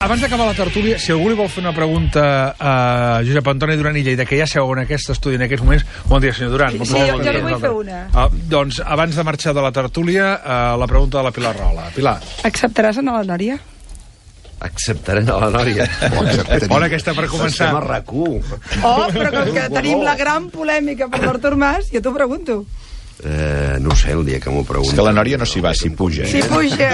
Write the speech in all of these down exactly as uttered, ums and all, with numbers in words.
abans d'acabar la tertúlia, si algú li vol fer una pregunta a Josep Antoni Duran i Lleida, que ja seu en aquest estudi en aquests moments... Bon dia, senyor Duran. Sí, jo, jo li vull fer una. Uh, doncs, abans de marxar de la tertúlia, uh, la pregunta de la Pilar Rola. Pilar. Acceptaràs anar a la Nòria? Acceptaré a la Nòria. Bona aquesta per començar. Estem a R A C u. Oh, però com que tenim la gran polèmica per l'Artur Mas, jo t'ho pregunto. Eh, no ho sé, el dia que m'ho pregunto. És que la Nòria no s'hi va, s'hi puja. S'hi puja.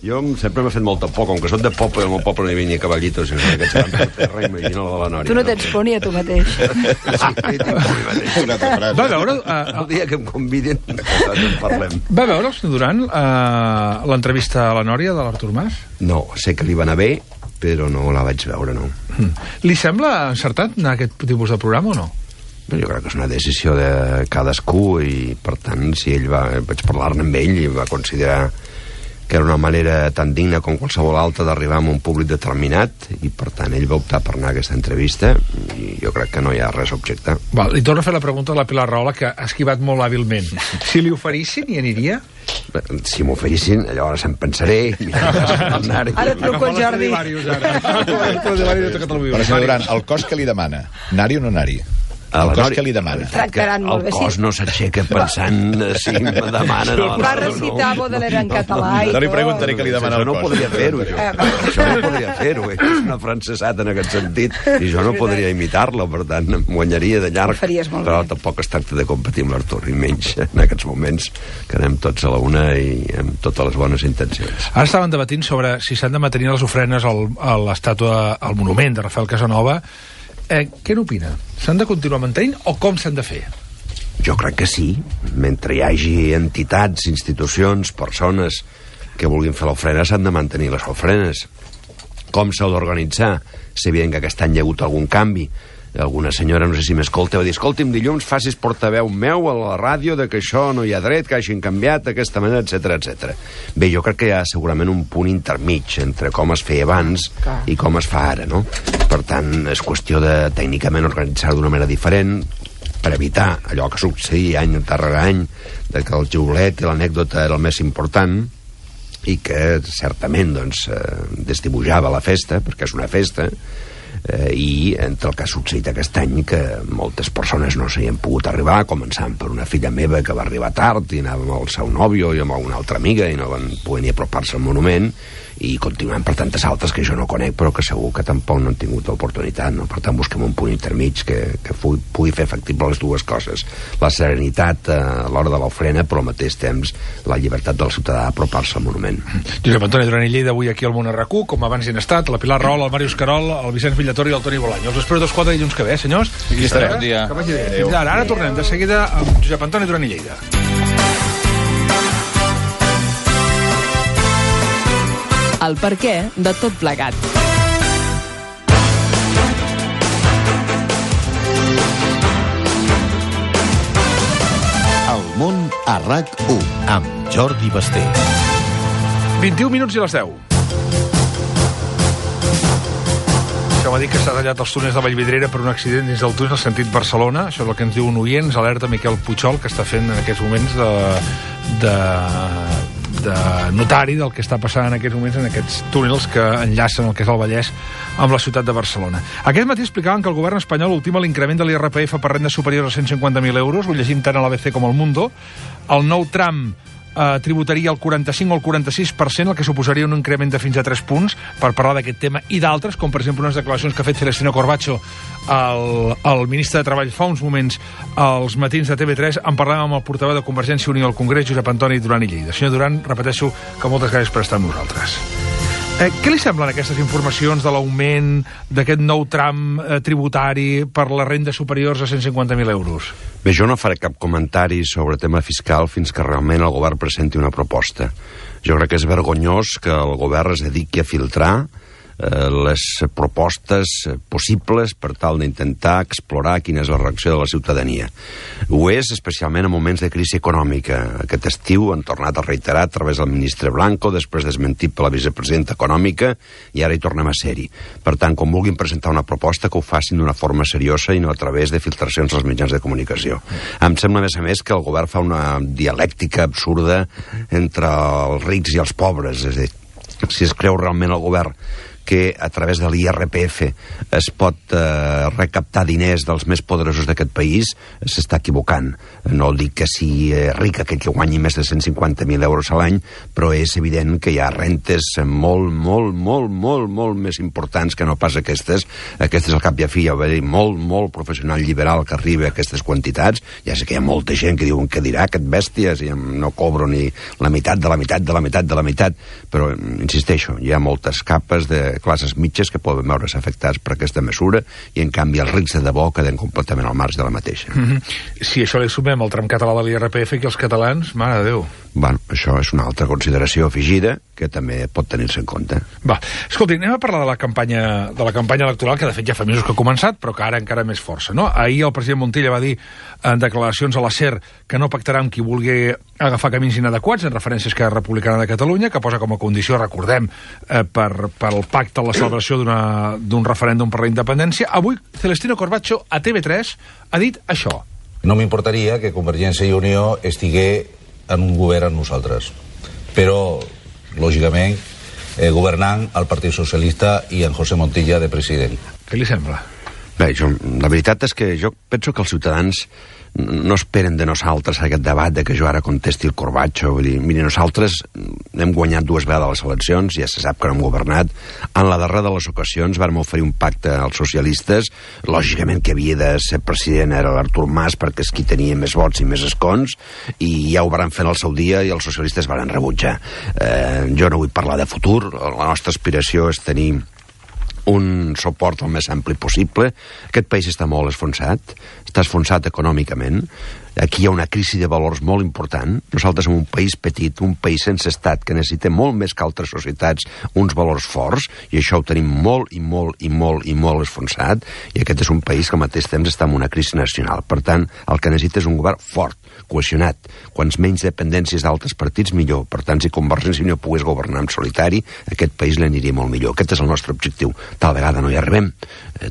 Jo sempre m'ha fet molta por, com que soc de poble, el meu poble no hi venia cavallitos, i aquests van per terra, imagina la de la Nòria. Tu no tens por ni a tu mateix. Sí, tinc por mi mateix. Una altra frase. Va veure... Uh, El dia que em convidin, en parlem. Va veure el senyor Duran uh, l'entrevista a la Nòria de l'Artur Mas? No, sé que li va anar bé, però no la vaig veure, no. Hmm. Li sembla encertat anar a aquest tipus de programa o no? Jo crec que és una decisió de cadascú i, per tant, si ell va... Vaig parlar-ne amb ell i va considerar que era una manera tan digna com qualsevol altra d'arribar a un públic determinat i, per tant, ell va optar per anar a aquesta entrevista i jo crec que no hi ha res a objectar. Val, li torno a fer la pregunta a la Pilar Rahola, que ha esquivat molt hàbilment. Si li oferissin, hi aniria? Si m'oferissin, llavors em pensaré... Ara truco al Jordi. Però, senyor Duran, el cos que li demana, anar-hi o no anar-hi? El cos que li demana. Tractaran molt bé, sí. El cos no s'aixeca pensant si em demanen... Va recitar Baudelaire en català i tot. No li preguntaré què li demana el cos. Això no podria fer-ho, jo. Això no podria fer-ho, eh? És una francesat en aquest sentit, i jo no podria imitar-la, per tant, em guanyaria de llarg. Però tampoc es tracta de competir amb l'Artur, i menys en aquests moments, que anem tots a la una i amb totes les bones intencions. Ara estaven debatint sobre si s'han de mantenir les ofrenes al, a l'estàtua, al monument de Rafael Casanova. Eh, què n'opina? S'han de continuar mantenint o com s'han de fer? Jo crec que sí. Mentre hi hagi entitats, institucions, persones que vulguin fer l'ofrena, s'han de mantenir les ofrenes. Com s'ha d'organitzar? Sé bien que aquest any hi ha hagut algun canvi. Alguna senyora, no sé si m'escolta, va dir, escolti'm, dilluns facis portaveu meu a la ràdio de que això no hi ha dret, que hagin canviat d'aquesta manera, etcètera, etcètera. Bé, jo crec que hi ha segurament un punt intermig entre com es feia abans i com es fa ara, no? Per tant, és qüestió de tècnicament organitzar d'una manera diferent per evitar allò que succeïa any darrere any, de que el xiulet i l'anècdota era el més important i que certament doncs, eh, desdibujava la festa, perquè és una festa, Eh, i entre el que ha succeït aquest any que moltes persones no s'hi han pogut arribar, començant per una filla meva que va arribar tard i anava amb el seu nòvio i amb una altra amiga i no van poder ni apropar-se al monument, i continuant per tantes altres que jo no conec però que segur que tampoc no han tingut l'oportunitat, no? Per tant busquem un punt intermig que, que pugui, pugui fer factible les dues coses, la serenitat eh, a l'hora de l'ofrena, però al mateix temps la llibertat del ciutadà d'apropar-se al monument. Josep Antoni Duran i Lleida avui aquí al Món R A C U, com abans hi han estat la Pilar Rahola, el Màrius Carol, el Vicenç Villator i el Toni Bolaño. Els espero dos quatre dilluns que ve, senyors. Aquí estarem. Bon dia. Que vagi bé. Fins ara, ara tornem de seguida amb Josep Antoni Duran i Lleida. El perquè de tot plegat. El Món a R A C u amb Jordi Basté. vint-i-un minuts i les deu. Això m'ha dit que s'ha tallat els túnels de Vallvidrera per un accident dins del túnel sentit Barcelona. Això és el que ens diu un oient, ens alerta Miquel Puigol, que està fent en aquests moments de, de, de notari del que està passant en aquests moments en aquests túnels que enllacen el que és el Vallès amb la ciutat de Barcelona. Aquest matí explicaven que el govern espanyol ultima l'increment de l'I R P F per rendes superiors a cent cinquanta mil euros, ho llegim tant a l'A B C com al Mundo. El nou tram eh, tributaria el quaranta-cinc o el quaranta-sis per cent, el que suposaria un increment de fins a tres punts per parlar d'aquest tema i d'altres, com per exemple unes declaracions que ha fet Celestino Corbacho, el, el ministre de Treball, fa uns moments als matins de T V tres. En parlàvem amb el portaveu de Convergència i Unió al Congrés, Josep Antoni Duran i Lleida. Senyor Duran, repeteixo que moltes gràcies per estar amb nosaltres. Eh, què li semblen aquestes informacions de l'augment d'aquest nou tram eh, tributari per les rendes superiors a cent cinquanta mil euros? Bé, jo no faré cap comentari sobre tema fiscal fins que realment el govern presenti una proposta. Jo crec que és vergonyós que el govern es dediqui a filtrar eh, les propostes possibles per tal d'intentar explorar quina és la reacció de la ciutadania. Ho és especialment en moments de crisi econòmica. Aquest estiu han tornat a reiterar a través del ministre Blanco, després desmentit per la vicepresidenta econòmica, i ara hi tornem a ser-hi. Per tant, quan vulguin presentar una proposta, que ho facin d'una forma seriosa i no a través de filtracions als mitjans de comunicació. Em sembla, a més a més, que el govern fa una dialèctica absurda entre els rics i els pobres. És a dir, si es creu realment el govern que a través de l'I R P F es pot eh, recaptar diners dels més poderosos d'aquest país, s'està equivocant. No dic que sigui eh, ric aquell que guanyi més de cent cinquanta mil euros a l'any, però és evident que hi ha rentes molt, molt, molt, molt, molt més importants que no pas aquestes. Aquestes, al cap i a fi, hi ha molt, molt professional liberal que arriba a aquestes quantitats. Ja sé que hi ha molta gent que diuen que dirà aquest bèstia si no cobro ni la meitat de la meitat de la meitat de la meitat, però insisteixo, hi ha moltes capes de classes mitges que poden veure's afectats per aquesta mesura i en canvi els rics de debò queden completament al marge de la mateixa. Mm-hmm. Si això li sumem el tram català de l'I R P F, que els catalans, mare de Déu. Bueno, això és una altra consideració afegida que també pot tenir-se en compte. Va, escolti, anem a parlar de la campanya de la campanya electoral, que de fet ja fa mesos que ha començat, però que ara encara més força, no? Ahir el president Montilla va dir en declaracions a la SER que no pactarà amb qui vulgui agafar camins inadequats, en referència a Esquerra Republicana de Catalunya, que posa com a condició, recordem, eh, per, per el pacte la celebració d'un referèndum per la independència. Avui, Celestino Corbacho, a T V tres, ha dit això. No m'importaria que Convergència i Unió estigués en un govern amb nosaltres, però, lògicament, eh, governant el Partit Socialista i en José Montilla de president. Què li sembla? Bé, jo, la veritat és que jo penso que els ciutadans no esperen de nosaltres aquest debat de que jo ara contesti el Corbacho. Vull dir, miri, nosaltres hem guanyat dues vegades les eleccions, ja se sap que no hem governat. En la darrera de les ocasions vam oferir un pacte als socialistes. Lògicament que havia de ser president era l'Artur Mas, perquè és qui tenia més vots i més escons, i ja ho van fer en el seu dia i els socialistes van rebutjar. Eh, jo no vull parlar de futur, la nostra aspiració és tenir un suport el més ampli possible. Aquest país està molt esfonsat, està esfonsat econòmicament. Aquí hi ha una crisi de valors molt important. Nosaltres som un país petit, un país sense estat, que necessita molt més que altres societats uns valors forts, i això ho tenim molt i molt i molt i molt esfonsat, i aquest és un país que al mateix temps està en una crisi nacional. Per tant, el que necessita és un govern fort, cohesionat. Quants menys dependències d'altres partits, millor. Per tant, si Convergència i Unió pogués governar en solitari, aquest país l'aniria molt millor. Aquest és el nostre objectiu. Tal vegada no hi arribem,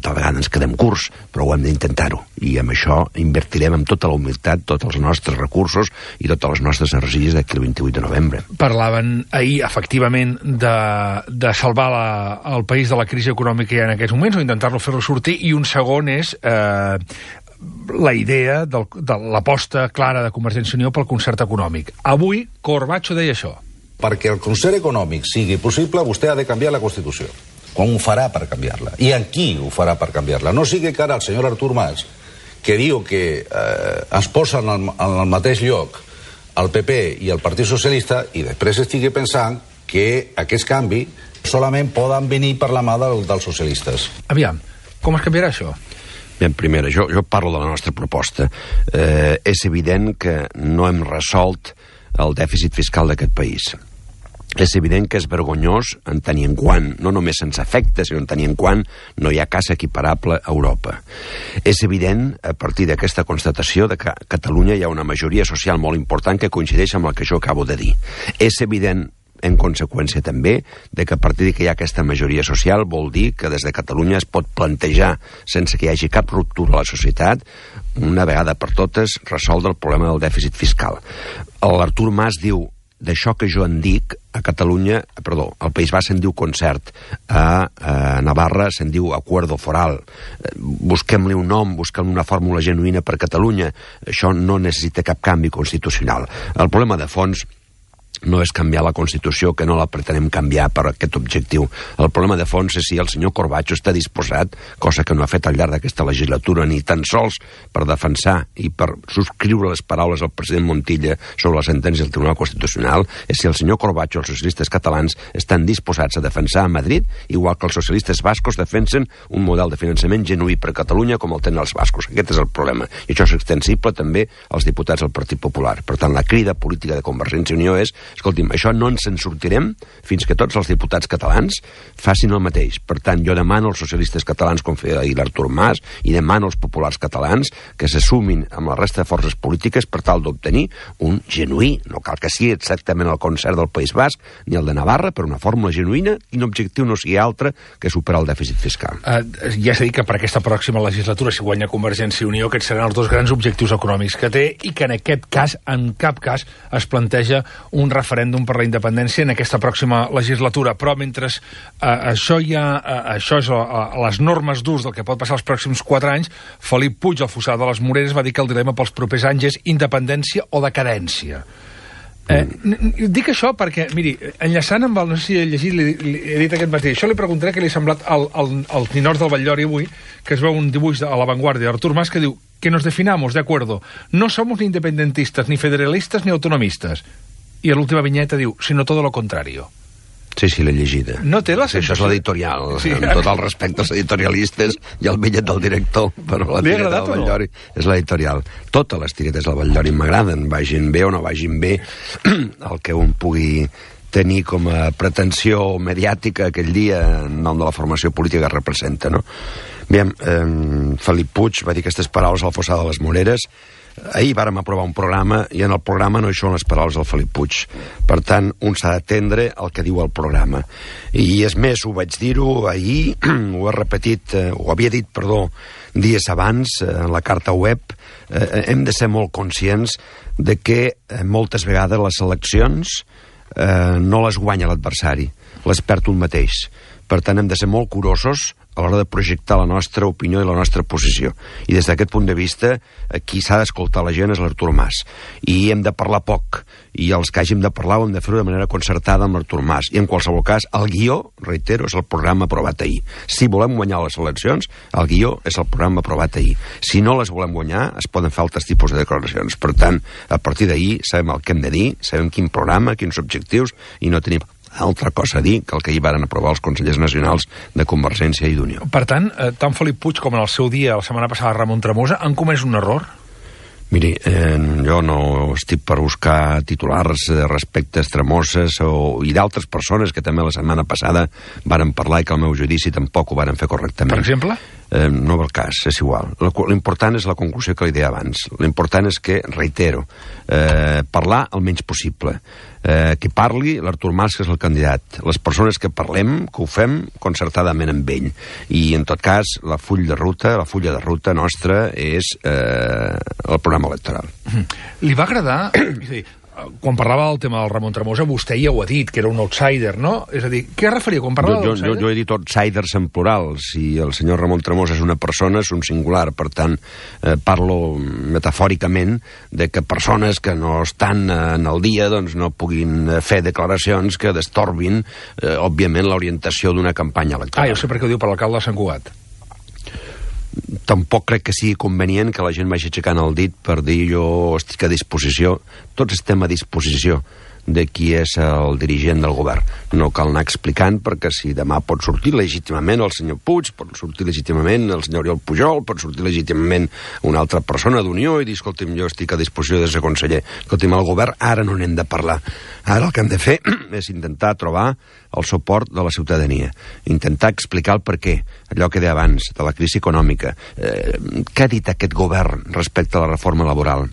tal vegada ens quedem curts, però ho hem d'intentar-ho. I amb això invertirem amb tota la humilitat tots els nostres recursos i totes les nostres energies d'aquí el vint-i-vuit de novembre. Parlaven ahir, efectivament, de, de salvar la, el país de la crisi econòmica que hi ha en aquests moments, o intentar-lo fer-lo sortir, i un segon és eh, la idea del, de l'aposta clara de Convergència i Unió pel concert econòmic. Avui, Corbacho deia això. Perquè el concert econòmic sigui possible, vostè ha de canviar la Constitució. Com ho farà per canviar-la? I en qui ho farà per canviar-la? No sigui que ara el senyor Artur Mas, que diu que eh, es posa en el, en el mateix lloc el P P i el Partit Socialista, i després estigui pensant que aquests canvis solament poden venir per la mà del, dels socialistes. Aviam, com es canviarà això? Bien, primera, jo, jo parlo de la nostra proposta. Eh, és evident que no hem resolt el dèficit fiscal d'aquest país. És evident que és vergonyós en tenir en quant, no només sense efecte, sinó en tenir en quant no hi ha cas equiparable a Europa. És evident, a partir d'aquesta constatació, de que a Catalunya hi ha una majoria social molt important que coincideix amb el que jo acabo de dir. És evident, en conseqüència també, de que a partir que hi ha aquesta majoria social vol dir que des de Catalunya es pot plantejar, sense que hi hagi cap ruptura a la societat, una vegada per totes resoldre el problema del dèficit fiscal. L'Artur Mas diu, d'això que jo en dic, a Catalunya, perdó, al País Basc se'n diu concert, a, a Navarra se'n diu acuerdo foral. Busquem-li un nom, busquem una fórmula genuïna per Catalunya. Això no necessita cap canvi constitucional. El problema de fons no és canviar la Constitució, que no la pretenem canviar per aquest objectiu. El problema de fons és si el senyor Corbacho està disposat, cosa que no ha fet al llarg d'aquesta legislatura, ni tan sols per defensar i per subscriure les paraules del president Montilla sobre la sentència del Tribunal Constitucional, és si el senyor Corbacho i els socialistes catalans estan disposats a defensar a Madrid, igual que els socialistes bascos defensen un model de finançament genuí per Catalunya com el tenen els bascos. Aquest és el problema. I això és extensible també als diputats del Partit Popular. Per tant, la crida política de Convergència i Unió és: escolti'm, això no ens en sortirem fins que tots els diputats catalans facin el mateix. Per tant, jo demano als socialistes catalans, com feia ahir l'Artur Mas, i demano als populars catalans que se sumin amb la resta de forces polítiques per tal d'obtenir un genuí, no cal que sigui exactament el concert del País Basc ni el de Navarra, però una fórmula genuïna i un objectiu no sigui altre que superar el dèficit fiscal. Uh, ja s'ha dit que per aquesta pròxima legislatura, si guanya Convergència i Unió, aquests seran els dos grans objectius econòmics que té, i que en aquest cas, en cap cas, es planteja un referèndum per la independència en aquesta pròxima legislatura. Però mentre eh, això hi ha, eh, això és a, a les normes d'ús del que pot passar els pròxims quatre anys, Felip Puig, el fossar de les Moreres, va dir que el dilema pels propers anys és independència o decadència. Eh, dic això perquè, miri, enllaçant amb el, no sé si he llegit, li, li, he dit aquest matí, això li preguntaré què li ha semblat al, al, al Ninors del Batllori avui, que es veu un dibuix a La Vanguardia d'Artur Mas que diu que nos definamos, de acuerdo, no somos ni independentistas, ni federalistas, ni autonomistas. I a l'última vinyeta diu, sino todo lo contrario. Sí, sí, l'he llegida. No té la sí, això és l'editorial, sí. Amb tot el respecte als editorialistes i al bitllet del director, però la tireta del Batllori no? És l'editorial. Totes les tiretes del Batllori m'agraden, vagin bé o no vagin bé, el que un pugui tenir com a pretensió mediàtica aquell dia en nom de la formació política que representa, no? Bé, eh, Felip Puig va dir aquestes paraules al fossar de les Moreres. Ahir vàrem aprovar un programa i en el programa no hi són les paraules del Felip Puig. Per tant, un s'ha d'atendre el que diu el programa. I és més, ho vaig dir-ho ahir, ho he repetit, eh, ho havia dit, perdó, dies abans, eh, en la carta web, eh, hem de ser molt conscients de que eh, moltes vegades les eleccions eh, no les guanya l'adversari, les perd un mateix. Per tant, hem de ser molt curosos a l'hora de projectar la nostra opinió i la nostra posició. I des d'aquest punt de vista, qui s'ha d'escoltar la gent és l'Artur Mas. I hem de parlar poc. I els que hàgim de parlar ho hem de fer-ho de manera concertada amb l'Artur Mas. I en qualsevol cas, el guió, reitero, és el programa aprovat ahir. Si volem guanyar les eleccions, el guió és el programa aprovat ahir. Si no les volem guanyar, es poden fer altres tipus de declaracions. Per tant, a partir d'ahir sabem el que hem de dir, sabem quin programa, quins objectius, i no tenim altra cosa a dir que el que hi varen aprovar els consellers nacionals de Convergència i d'Unió. Per tant, eh, tant Felip Puig com en el seu dia, la setmana passada, Ramon Tremosa, han comès un error? Miri, eh, jo no estic per buscar titulars respecte a Tremoses o, i d'altres persones que també la setmana passada varen parlar i que al meu judici tampoc ho varen fer correctament. Per exemple? Eh, no ve el cas, és igual. L'important és la conclusió que li deia abans. L'important és que, reitero, eh, parlar el menys possible. Eh, que parli l'Artur Mas, que és el candidat. Les persones que parlem, que ho fem concertadament amb ell. I, en tot cas, la full de ruta, la fulla de ruta nostra és eh, el programa electoral. Li va agradar... És a dir, quan parlava del tema del Ramon Tremosa, vostè ja ho ha dit, que era un outsider, no? És a dir, què es referia quan parlava jo, d'outsider? Jo, jo he dit outsiders en plural. Si el senyor Ramon Tremosa és una persona, és un singular. Per tant, eh, parlo metafòricament de que persones que no estan en el dia doncs no puguin fer declaracions que destorbin, eh, òbviament, l'orientació d'una campanya electoral. Ah, jo sé per què ho diu per l'alcalde de Sant Cugat. Tampoc crec que sigui convenient que la gent vagi aixecant el dit per dir jo estic a disposició. Tots estem a disposició de qui és el dirigent del govern. No cal anar explicant, perquè si demà pot sortir legítimament el senyor Puig, pot sortir legítimament el senyor Oriol Pujol, pot sortir legítimament una altra persona d'Unió i dir, escolti'm, jo estic a disposició de ser conseller. Escolti'm, el govern ara no n'hem de parlar. Ara el que hem de fer és intentar trobar el suport de la ciutadania, intentar explicar el per què, allò que deia abans, de la crisi econòmica. Eh, què ha dit aquest govern respecte a la reforma laboral?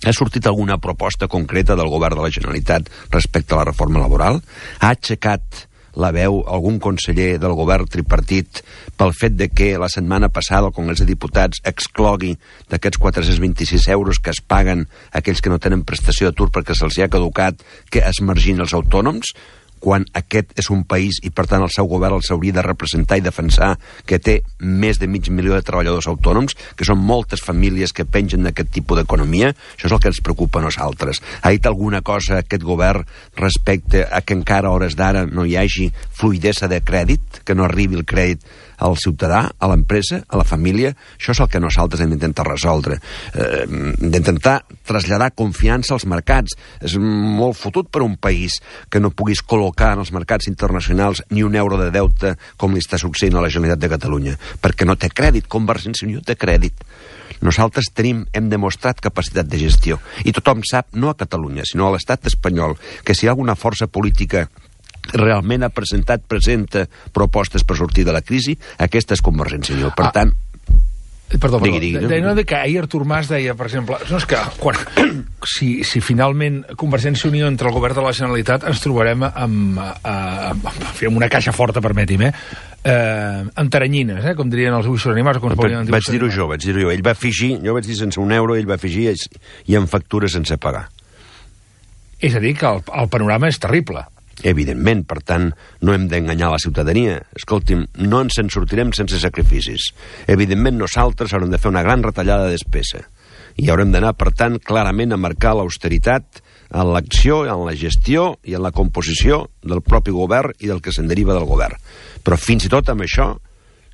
Ha sortit alguna proposta concreta del govern de la Generalitat respecte a la reforma laboral? Ha aixecat la veu algun conseller del govern tripartit pel fet de que la setmana passada el Congrés de Diputats exclogui d'aquests quatre-cents vint-i-sis euros que es paguen a aquells que no tenen prestació d'atur perquè se'ls ha caducat, que es margin els autònoms? Quan aquest és un país i, per tant, el seu govern els hauria de representar i defensar, que té més de mig milió de treballadors autònoms, que són moltes famílies que pengen d'aquest tipus d'economia. Això és el que ens preocupa a nosaltres. Ha dit alguna cosa aquest govern respecte a que encara a hores d'ara no hi hagi fluidesa de crèdit, que no arribi el crèdit al ciutadà, a l'empresa, a la família? Això és el que nosaltres hem d'intentar resoldre. Eh, d'intentar traslladar confiança als mercats. És molt fotut per un país que no puguis col·locar en els mercats internacionals ni un euro de deute com li està succeint a la Generalitat de Catalunya, perquè no té crèdit. Convergència i Unió té crèdit. Nosaltres tenim, hem demostrat capacitat de gestió. I tothom sap, no a Catalunya, sinó a l'estat espanyol, que si hi ha alguna força política realment ha presentat, presenta propostes per sortir de la crisi, aquesta és Convergència i Unió. Per ah. tant... Perdó, perdó. Digui, digui, de, no, de que ahir Artur Mas deia, per exemple, no és que quan, si, si finalment Convergència i Unió entra al govern de la Generalitat ens trobarem amb, amb, amb una caixa forta, permeti'm, eh? Eh, amb taranyines, eh? Com dirien els buixos animals. Com va, vaig dir-ho jo, vaig dir-ho jo. Ell va afegir, jo vaig dir sense un euro, ell va afegir i amb factures sense pagar. És a dir, que el, el panorama és terrible. Evidentment, per tant, no hem d'enganyar la ciutadania. Escolti'm, no ens en sortirem sense sacrificis. Evidentment, nosaltres haurem de fer una gran retallada de despesa. I haurem d'anar, per tant, clarament a marcar l'austeritat en l'acció, en la gestió i en la composició del propi govern i del que se'n deriva del govern. Però fins i tot amb això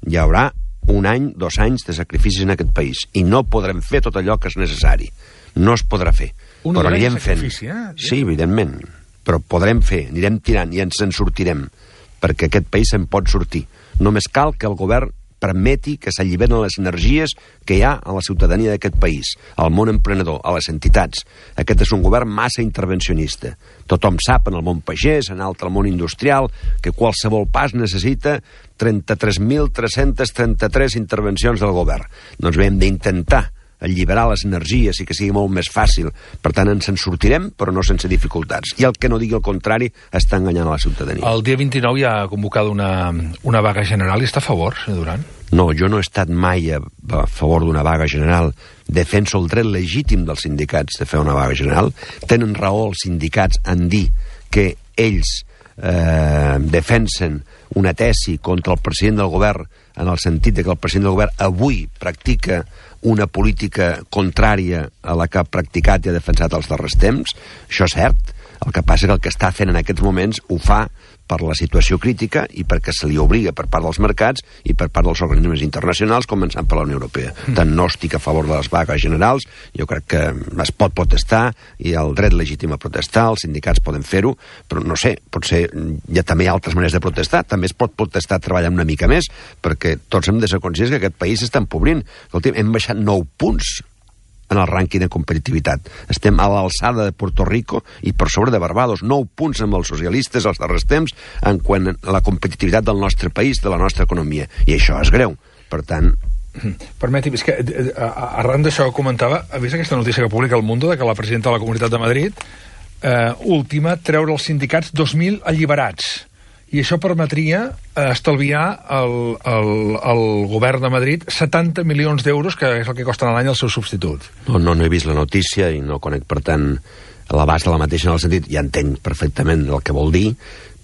hi haurà un any, dos anys de sacrificis en aquest país. I no podrem fer tot allò que és necessari. No es podrà fer. Un però anirem fent. Eh? Sí, evidentment. Però podrem fer, anirem tirant i ens en sortirem, perquè aquest país se'n pot sortir. Només cal que el govern permeti que s'alliberen les energies que hi ha a la ciutadania d'aquest país, al món emprenedor, a les entitats. Aquest és un govern massa intervencionista. Tothom sap, en el món pagès, en altre món industrial, que qualsevol pas necessita trenta-tres mil tres-cents trenta-tres intervencions del govern. Doncs bé, hem d'intentar alliberar les energies i que sigui molt més fàcil. Per tant, ens en sortirem, però no sense dificultats. I el que no digui el contrari està enganyant a la ciutadania. El dia vint-i-nou hi ha convocada una, una vaga general i està a favor, senyor Duran? No, jo no he estat mai a, a favor d'una vaga general. Defenso el dret legítim dels sindicats de fer una vaga general. Tenen raó els sindicats en dir que ells eh, defensen una tesi contra el president del govern en el sentit de que el president del govern avui practica una política contrària a la que ha practicat i ha defensat els darrers temps. Això és cert. El que passa és que el que està fent en aquests moments ho fa per la situació crítica i perquè se li obliga per part dels mercats i per part dels organismes internacionals, començant per la Unió Europea. Mm. Tant no estic a favor de les vagues generals, jo crec que es pot protestar i el dret legítim a protestar, els sindicats poden fer-ho, però no sé, potser hi ha també altres maneres de protestar, també es pot protestar treballant una mica més, perquè tots hem de ser conscients que aquest país s'està empobrint. Escolta, hem baixat nou punts en el rànquing de competitivitat. Estem a l'alçada de Puerto Rico i per sobre de Barbados. Nou punts amb els socialistes als darrers temps en quant a la competitivitat del nostre país, de la nostra economia. I això és greu. Per tant... Permeti'm, és que arran d'això que comentava, ha vist aquesta notícia que publica El Mundo de que la presidenta de la Comunitat de Madrid eh, última treure els sindicats dos mil alliberats. I això permetria eh, estalviar al, al, al govern de Madrid setanta milions d'euros, que és el que costen a l'any els seus substituts. No, no, no he vist la notícia i no conec, per tant, l'abast de la mateixa en el sentit, ja entenc perfectament el que vol dir,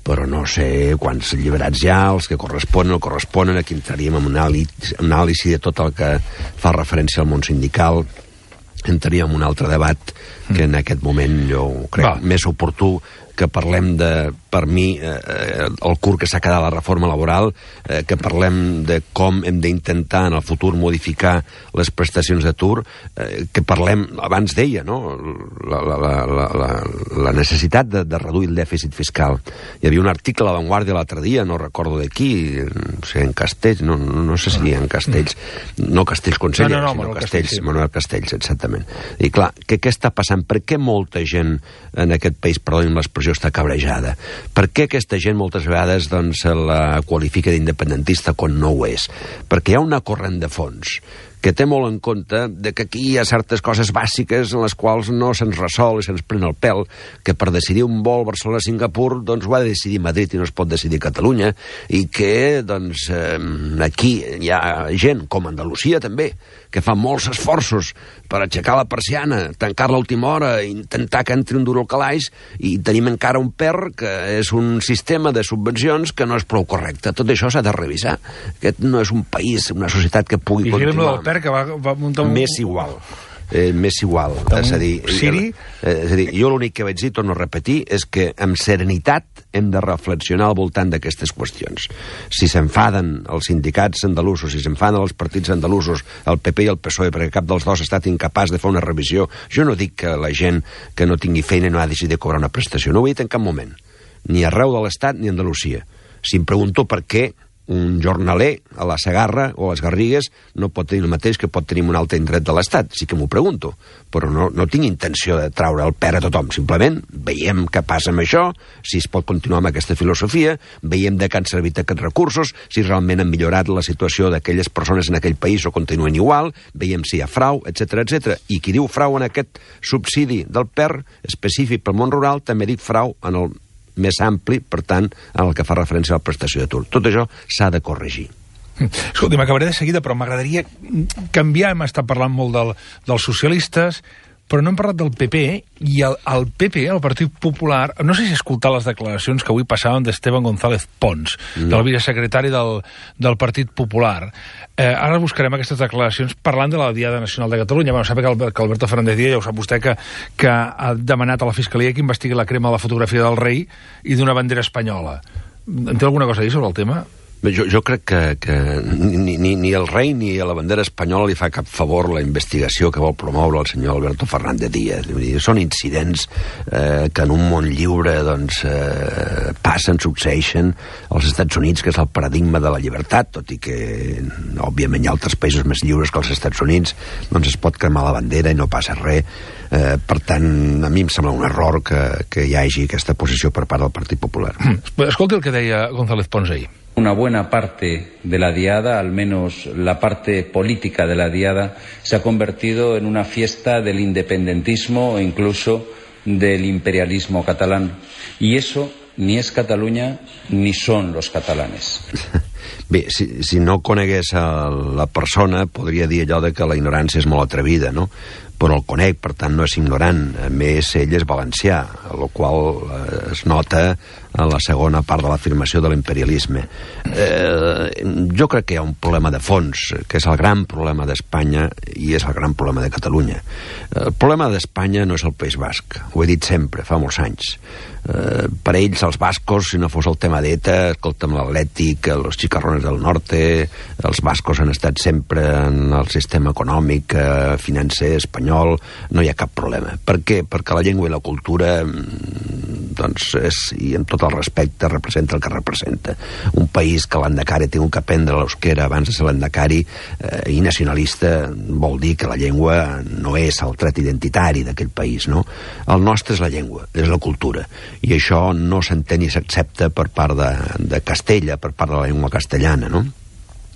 però no sé quants alliberats hi ha, els que corresponen o corresponen, aquí entraríem en una anàlisi de tot el que fa referència al món sindical, entraríem en un altre debat que en aquest moment jo crec Va. més oportú que parlem de, per mi, eh, el curt que s'ha quedat la reforma laboral, eh, que parlem de com hem d'intentar en el futur modificar les prestacions d'atur, eh, que parlem, abans deia, no?, la, la, la, la, la necessitat de, de reduir el dèficit fiscal. Hi havia un article a La Vanguardia l'altre dia, no recordo de qui, no sé, en Castells, no, no, no sé si en Castells, no Castells conseller, no, no, no, sinó Manuel Castells, Castells, sí. Manuel Castells, exactament. I clar, què, què està passant? Per què molta gent en aquest país, perdonin l'expressió, està cabrejada? Per què aquesta gent moltes vegades doncs, se la qualifica d'independentista quan no ho és? Perquè hi ha una corrent de fons que té molt en compte de que aquí hi ha certes coses bàsiques en les quals no se'ns resol i se'ns pren el pèl, que per decidir un vol Barcelona-Singapur doncs ho ha de decidir Madrid i no es pot decidir Catalunya, i que doncs eh, aquí hi ha gent, com Andalusia també, que fa molts esforços per aixecar la persiana, tancar-la a última hora, intentar que entri un duro al calaix, i tenim encara un P E R que és un sistema de subvencions que no és prou correcte. Tot això s'ha de revisar. Aquest no és un país, una societat que pugui I continuar. I que va, va muntar un... Més igual. Eh, més igual. És a dir, Siri? Eh, és a dir, jo l'únic que vaig dir, torno a repetir, és que amb serenitat hem de reflexionar al voltant d'aquestes qüestions. Si s'enfaden els sindicats andalusos, si s'enfaden els partits andalusos, el P P i el P S O E, perquè cap dels dos ha estat incapaç de fer una revisió, jo no dic que la gent que no tingui feina no ha decidit cobrar una prestació. No ho he dit en cap moment. Ni arreu de l'Estat ni a Andalusia. Si em pregunto per què un jornaler a la Segarra o a les Garrigues no pot tenir el mateix que pot tenir un altre indret de l'Estat. Sí que m'ho pregunto, però no, no tinc intenció de traure el pèl a tothom. Simplement veiem què passa amb això, si es pot continuar amb aquesta filosofia, veiem de què han servit aquests recursos, si realment han millorat la situació d'aquelles persones en aquell país o continuen igual, veiem si hi ha frau, etcètera, etcètera. I qui diu frau en aquest subsidi del P E R específic pel món rural també dic frau en el més ampli, per tant, en el que fa referència a la prestació d'atur. Tot això s'ha de corregir. Escolta, m'acabaré de seguida, però m'agradaria canviar, hem estat parlant molt del, dels socialistes, però no hem parlat del P P, i el, el P P, el Partit Popular, no sé si escoltar les declaracions que avui passaven d'Esteban González Pons, no. del vicesecretari del, del Partit Popular. Eh, ara buscarem aquestes declaracions parlant de la Diada Nacional de Catalunya. Bueno, sap que, Albert, que Alberto Fernández Díaz, ja ho sap vostè, que, que ha demanat a la Fiscalia que investigui la crema de la fotografia del rei i d'una bandera espanyola. En té alguna cosa a dir sobre el tema? Jo, jo crec que, que ni, ni, ni el rei ni a la bandera espanyola li fa cap favor la investigació que vol promoure el senyor Alberto Fernández Díaz. Són incidents eh, que en un món lliure doncs, eh, passen, succeeixen als Estats Units, que és el paradigma de la llibertat, tot i que òbviament hi ha altres països més lliures que els Estats Units, doncs es pot cremar la bandera i no passa res. Eh, per tant, a mi em sembla un error que, que hi hagi aquesta posició per part del Partit Popular. Escolti el que deia González Pons ahir. Una buena parte de la diada, al menos la parte política de la diada, se ha convertido en una fiesta del independentismo e incluso del imperialismo catalán. Y eso ni es Cataluña ni son los catalanes. Bé, si, si no conegués a la persona, podria dir allò de que la ignorància és molt atrevida, no? Però el conec, per tant no és ignorant. A més, ell és valencià, el qual eh, es nota en la segona part de l'afirmació de l'imperialisme. Eh, jo crec que hi ha un problema de fons, que és el gran problema d'Espanya i és el gran problema de Catalunya. El problema d'Espanya no és el País Basc, ho he dit sempre, fa molts anys. Eh, per ells, els bascos, si no fos el tema d'ETA, escolta'm, l'Atlètic, els Chicarrones del Norte, els bascos han estat sempre en el sistema econòmic, eh, financer espanyol, no hi ha cap problema. Per què? Perquè la llengua i la cultura, doncs, és, i amb tot el respecte, representa el que representa. Un país que l'endacari ha tingut que aprendre l'euskera abans de ser l'endacari eh, i nacionalista vol dir que la llengua no és el tret identitari d'aquell país, no? El nostre és la llengua, és la cultura, i això no s'entén ni s'accepta per part de, de Castella, per part de la llengua castellana, no?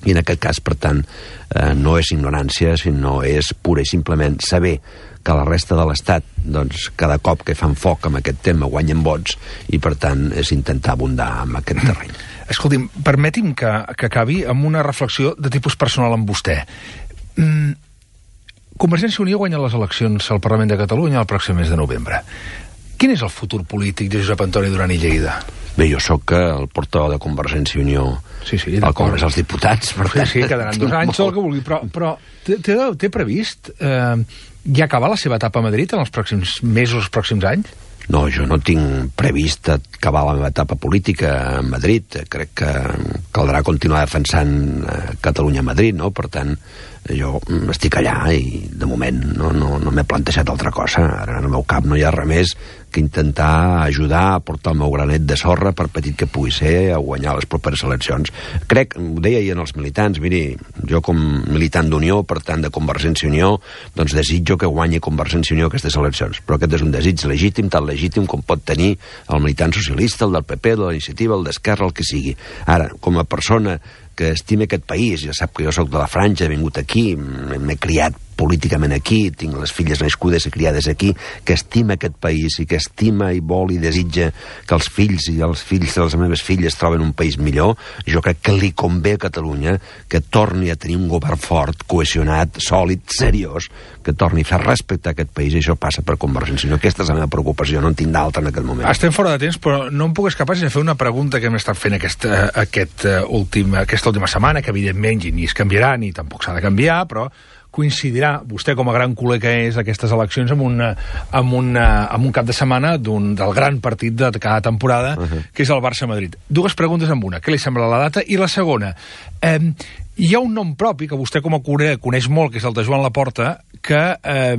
I en aquest cas, per tant, eh, no és ignorància, sinó és pura i simplement saber que la resta de l'Estat, doncs, cada cop que fan foc amb aquest tema guanyen vots, i per tant és intentar abundar en aquest terreny. Escolti'm, permeti'm que, que acabi amb una reflexió de tipus personal amb vostè. Mm, Convergència i Unió guanya les eleccions al Parlament de Catalunya el pròxim mes de novembre. Quin és el futur polític de Josep Antoni Duran i Lleida? Bé, jo sóc el portaveu de Convergència i Unió sí, sí, al Congrés dels Diputats. Per tant, sí, sí, quedaran dos anys, tot el que vulgui, però, però té, té previst eh, ja acabar la seva etapa a Madrid en els pròxims mesos, els pròxims anys? No, jo no tinc previst acabar la meva etapa política a Madrid. Crec que caldrà continuar defensant Catalunya a Madrid, no? Per tant, jo estic allà i de moment no, no, no m'he plantejat altra cosa. Ara en el meu cap no hi ha res més que intentar ajudar a portar el meu granet de sorra, per petit que pugui ser, a guanyar les properes eleccions. Crec, ho deia ahir als militants, miri, jo com militant d'Unió, per tant de Convergència i Unió, doncs desitjo que guanyi Convergència i Unió aquestes eleccions, però aquest és un desig legítim, tan legítim com pot tenir el militant socialista, el del P P, el de la Iniciativa, el d'Esquerra, el que sigui. Ara, com a persona que estime aquest país, ja sap que jo sóc de la Franja, he vingut aquí, m'he criat políticament aquí, tinc les filles nascudes i criades aquí, que estima aquest país i que estima i vol i desitja que els fills i els fills de les meves filles troben un país millor, jo crec que li convé a Catalunya que torni a tenir un govern fort, cohesionat, sòlid, seriós, que torni a fer respectar aquest país, i això passa per Convergència i Unió. Aquesta és la meva preocupació, no en tinc d'altra en aquest moment. Estem fora de temps, però no em puc escapar sense fer una pregunta que hem estat fent aquesta, aquest, uh, últim, aquesta última setmana, que evidentment ni es canviarà ni tampoc s'ha de canviar, però coincidirà vostè com a gran culer que és aquestes eleccions amb, una, amb, una, amb un cap de setmana d'un, del gran partit de cada temporada, uh -huh. que és el Barça-Madrid. Dues preguntes amb una. Què li sembla la data? I la segona, eh, hi ha un nom propi que vostè com a culer coneix molt, que és el de Joan Laporta, que eh,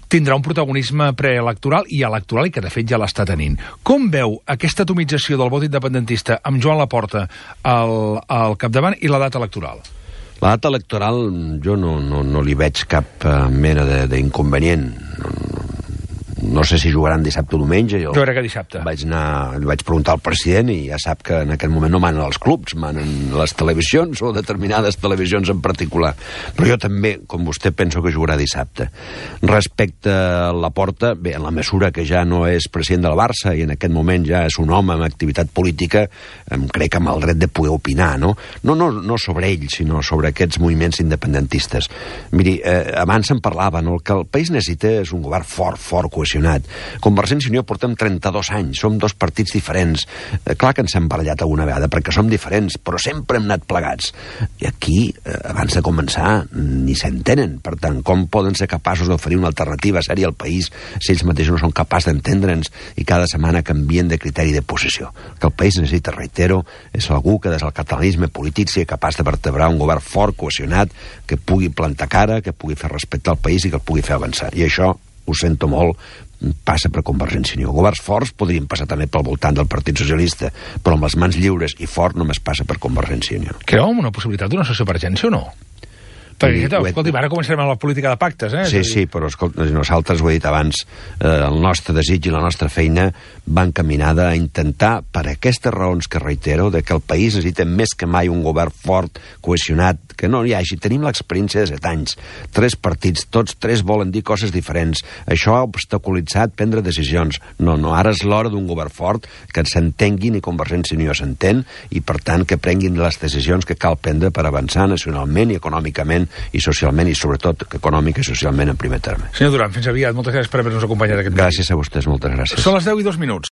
tindrà un protagonisme preelectoral i electoral, i que de fet ja l'està tenint. Com veu aquesta atomització del vot independentista amb Joan Laporta al, al capdavant i la data electoral? La data electoral jo no, no, no li veig cap uh, mena d'inconvenient. No, no, no sé si jugaran dissabte o diumenge. Jo, jo crec que dissabte. Vaig anar, li vaig preguntar al president i ja sap que en aquest moment no manen els clubs, manen les televisions o determinades televisions en particular. Però jo també, com vostè, penso que jugarà dissabte. Respecte a Laporta, bé, en la mesura que ja no és president del Barça i en aquest moment ja és un home amb activitat política, em crec amb el dret de poder opinar, no? No, no, no sobre ell, sinó sobre aquests moviments independentistes. Miri, eh, abans se'n parlava, no? El que el país necessita és un govern fort, fort, cohesionat. Convergència i Unió portem trenta-dos anys, som dos partits diferents. Eh, clar que ens hem barallat alguna vegada, perquè som diferents, però sempre hem anat plegats. I aquí, eh, abans de començar, ni s'entenen. Per tant, com poden ser capaços d'oferir una alternativa sèria al país si ells mateixos no són capaços d'entendre'ns i cada setmana canvien de criteri de posició? Que el país necessita, reitero, és algú que des del catalanisme polític sigui capaç de vertebrar un govern fort, cohesionat, que pugui plantar cara, que pugui fer respectar el país i que el pugui fer avançar. I això, ho sento molt, passa per Convergència i Unió. Governs forts podrien passar també pel voltant del Partit Socialista, però amb les mans lliures i fort només passa per Convergència i Unió. Creu en una possibilitat d'una sessió per urgència o no? Perquè, escolti, ara començarem amb la política de pactes, eh? Sí, sí, però escolta, nosaltres, ho he dit abans, eh, el nostre desig i la nostra feina va encaminada a intentar, per aquestes raons que reitero, de que el país necessita més que mai un govern fort, cohesionat, que no hi hagi. Tenim l'experiència de set anys, tres partits, tots tres volen dir coses diferents. Això ha obstaculitzat prendre decisions. No, no, ara és l'hora d'un govern fort, que s'entenguin i Convergència i Unió s'entén, i per tant que prenguin les decisions que cal prendre per avançar nacionalment i econòmicament i socialment, i sobretot econòmica i socialment en primer terme. Senyor Duran, fins aviat. Moltes gràcies per haver-nos acompanyat aquest Gràcies a vostès, moltes gràcies. Són les deu i dos minuts.